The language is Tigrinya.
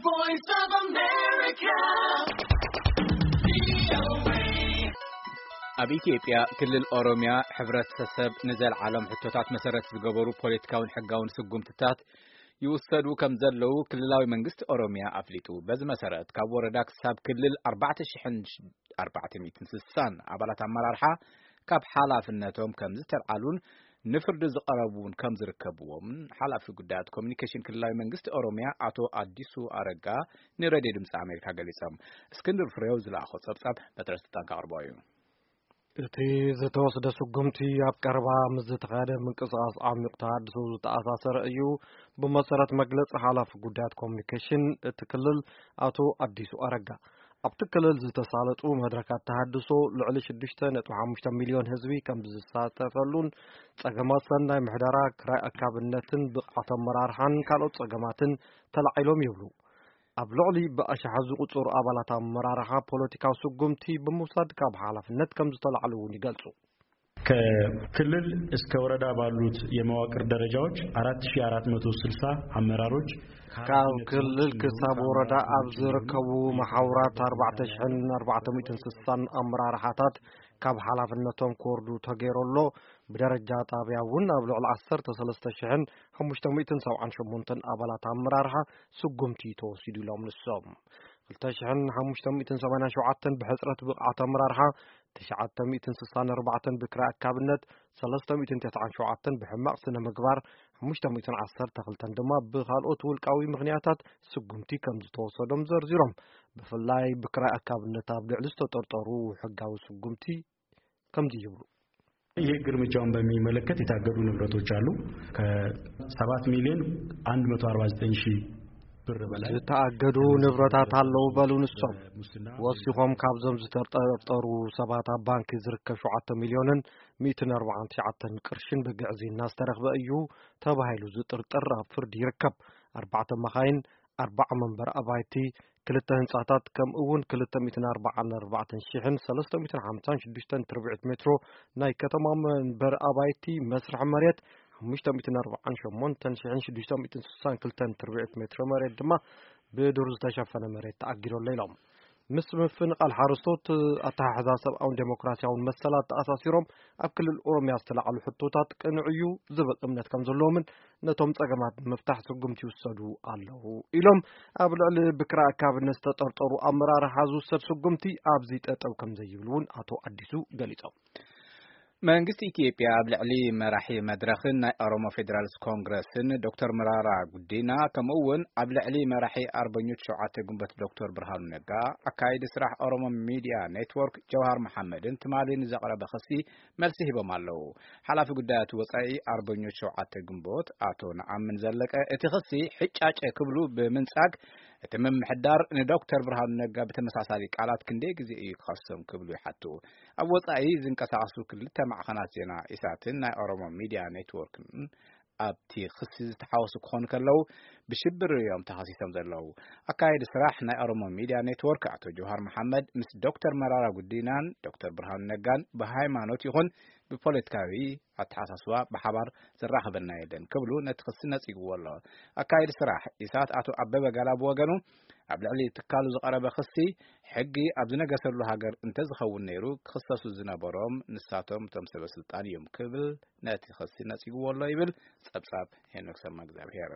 Voice of America. ኣብ ኢትዮጵያ ክልል ኦሮሚያ ሕብረተሰብ ንዘልዓሎም ሕቶታት መሰረት ዝገበሩ ፖለቲካውን ሕጋውን ስጉምትታት ይውሰዱ ከም ዘለዉ ክልላዊ መንግስቲ ኦሮሚያ ኣፍሊጡ። በዚ መሰረት ካብ ወረዳ ክሳብ ክልል ኣርባዕተ ሽሕን ኣርባዕተ ሚእትን ስሳን ኣባላት ኣመራርሓ ካብ ሓላፍነቶም ከም ዝተልዓሉን ንፍርዲ ዝቐረቡ እውን ከም ዝርከብዎም ሓላፊ ጉዳያት ኮሚኒኬሽን ክልላዊ መንግስቲ ኦሮሚያ ኣቶ ኣዲሱ ኣረጋ ንሬድዮ ድምፂ ኣሜሪካ ገሊጾም። እስክንድር ፍሬው ዝለኣኾ ጸብጻብ በትረ ስልጣን ካቕርቦ እዩ። እቲ ዝተወስደ ስጉምቲ ኣብ ቀረባ ምስ ዝተኻየደ ምንቅስቓስ ዓሚቕ ተሃድሶ ዝተኣሳሰረ እዩ። ብመሰረት መግለጺ ሓላፊ ጉዳያት ኮሚኒኬሽን እቲ ክልል ኣቶ ኣዲሱ ኣረጋ፣ ኣብቲ ክልል ዝተሳለጡ መድረካት ተሃድሶ ልዕሊ ሽዱሽተ ነጥቢ ሓሙሽተ ሚልዮን ህዝቢ ከም ዝሳተፈሉን ጸገማት ሰናይ ምሕደራ፣ ክራይ ኣካብነትን ብቕዓት ኣመራርሓን ካልኦት ጸገማትን ተላዒሎም ይብሉ። ኣብ ልዕሊ ብኣሽሓት ዝቑጸሩ ኣባላት ኣመራርሓ ፖለቲካዊ ስጉምቲ ብምውሳድ ካብ ሓላፍነት ከም ዝተላዕሉ እውን ይገልጹ። ከክልል እስከ ወረዳ ባሉት የመዋቅር ደረጃዎች አራት ሺህ አራት መቶ ስልሳ አመራሮች ካብ ክልል ክሳብ ወረዳ ኣብ ዝርከቡ መሓውራት ኣርባዕተ ሽሕን ኣርባዕተ ሚእትን ስሳን ኣመራርሓታት ካብ ሓላፍነቶም ክወርዱ ተገይሩ ኣሎ። ብደረጃ ጣብያ እውን ኣብ ልዕሊ ዓሰርተ ሰለስተ ሽሕን ሓሙሽተ ሚእትን ሰብዓን ሸሞንተን ኣባላት ኣመራርሓ ስጉምቲ ተወሲዱ ኢሎም ንሶም። ክልተ ሽሕን ሓሙሽተ ሚእትን ሰማንያን ሸውዓተን ብሕጽረት ብቕዓት ኣመራርሓ፣ ትሽዓተ ሚእትን ስሳን ኣርባዕተን ብክራይ ኣካብነት፣ ሰለስተ ሚእትን ተስዓን ሸውዓተን ብሕማቕ ስነ ምግባር፣ ሓሙሽተ ሚእትን ዓሰርተ ክልተን ድማ ብኻልኦት ውልቃዊ ምኽንያታት ስጉምቲ ከም ዝተወሰዶም ዘርዚሮም። ብፍላይ ብክራይ ኣካብነት ኣብ ልዕሊ ዝተጠርጠሩ ሕጋዊ ስጉምቲ ከምዚ ይብሉ። ይህ እርምጃውን በሚመለከት የታገዱ ንብረቶች አሉ። ከሰባት ሚሊዮን አንድ መቶ አርባ ዘጠኝ ሺህ ብር በላይ ዝተኣገዱ ንብረታት ኣለዉ በሉ ንሶም። ሙስና ወሲኾም ካብዞም ዝተጠርጠሩ ሰባት ኣብ ባንኪ ዝርከብ ሸውዓተ ሚልዮንን ሚእትን ኣርባዓን ትሽዓተን ቅርሽን ብግዕዝይና ዝተረኽበ እዩ ተባሂሉ ዝጥርጠር ኣብ ፍርዲ ይርከብ። ኣርባዕተ መኻይን፣ ኣርባዓ መንበሪ ኣባይቲ፣ ክልተ ህንጻታት፣ ከምኡ እውን ክልተ ሚእትን ኣርባዓን ኣርባዕተን ሽሕን ሰለስተ ሚእትን ሓምሳን ሽዱሽተን ትርብዒት ሜትሮ ናይ ከተማ መንበሪ ኣባይቲ መስርሒ መሬት፣ ሓሙሽተ ሚእትን ኣርባዓን ሸሞንተን ሽሕን ሽዱሽተ ሚእትን ስሳን ክልተን ትርብዒት ሜትሮ መሬት ድማ ብዱር ዝተሸፈነ መሬት ተኣጊዱ ኣሎ ኢሎም። ምስ ምፍንቓል ሓረስቶት፣ ኣተሓሕዛ ሰብኣውን ዴሞክራሲያውን መሰላት ተኣሳሲሮም ኣብ ክልል ኦሮሚያ ዝተላዕሉ ሕቶታት ቅኑዕ እዩ ዝብል እምነት ከም ዘለዎምን ነቶም ጸገማት ንምፍታሕ ስጉምቲ ይውሰዱ ኣለዉ ኢሎም። ኣብ ልዕሊ ብክራይ ኣካብነት ዝተጠርጠሩ ኣመራርሓ ዝውሰድ ስጉምቲ ኣብዚ ጠጠው ከም ዘይብል እውን ኣቶ ኣዲሱ ገሊጾም። መንግስቲ ኢትዮጵያ ኣብ ልዕሊ መራሒ መድረኽን ናይ ኦሮሞ ፌዴራልስ ኮንግረስን ዶክተር መራራ ጉዲና፣ ከምኡ እውን ኣብ ልዕሊ መራሒ ኣርበኞች ሸውዓተ ግንቦት ዶክተር ብርሃኑ ነጋ፣ ኣካይዲ ስራሕ ኦሮሞ ሚድያ ኔትወርክ ጀውሃር መሓመድን ትማሊ ንዘቕረበ ክሲ መልሲ ሂቦም ኣለዉ። ሓላፊ ጉዳያት ወጻኢ ኣርበኞች ሸውዓተ ግንቦት ኣቶ ነኣምን ዘለቀ፣ እቲ ክሲ ሕጫጨ ክብሉ ብምንጻግ፣ እቲ ምምሕዳር ንዶክተር ብርሃኑ ነጋ ብተመሳሳሊ ቃላት ክንደይ ግዜ እዩ ክኸሶም ክብሉ ይሓቱ። ኣብ ወጻኢ ዝንቀሳቐሱ ክልተ ማዕኸናት ዜና ኢሳትን ናይ ኦሮሞ ሚድያ ኔትወርክን ኣብቲ ክሲ ዝተሓወሱ ክኾኑ ከለዉ፣ ብሽብር እዮም ተኸሲሶም ዘለዉ። ኣካየዲ ስራሕ ናይ ኦሮሞ ሚድያ ኔትወርክ ኣቶ ጀውሃር መሓመድ ምስ ዶክተር መራራ ጉዲናን ዶክተር ብርሃኑ ነጋን ብሃይማኖት ይኹን ብፖለቲካዊ ኣተሓሳስባ ብሓባር ዘራኽበና የለን ክብሉ ነቲ ክሲ ነጺግዎ ኣሎ። ኣካየዲ ስራሕ ኢሳት ኣቶ ኣበበ ጋላ ብወገኑ፣ ኣብ ልዕሊ ትካሉ ዝቐረበ ክሲ፣ ሕጊ ኣብ ዝነገሰሉ ሃገር እንተዝኸውን ነይሩ፣ ክኽሰሱ ዝነበሮም ንሳቶም እቶም ሰበ ስልጣን እዮም ክብል ነቲ ክሲ ነጺግዎ ኣሎ ይብል ጸብጻብ ሄኖክ ሰማ እግዚኣብሔር።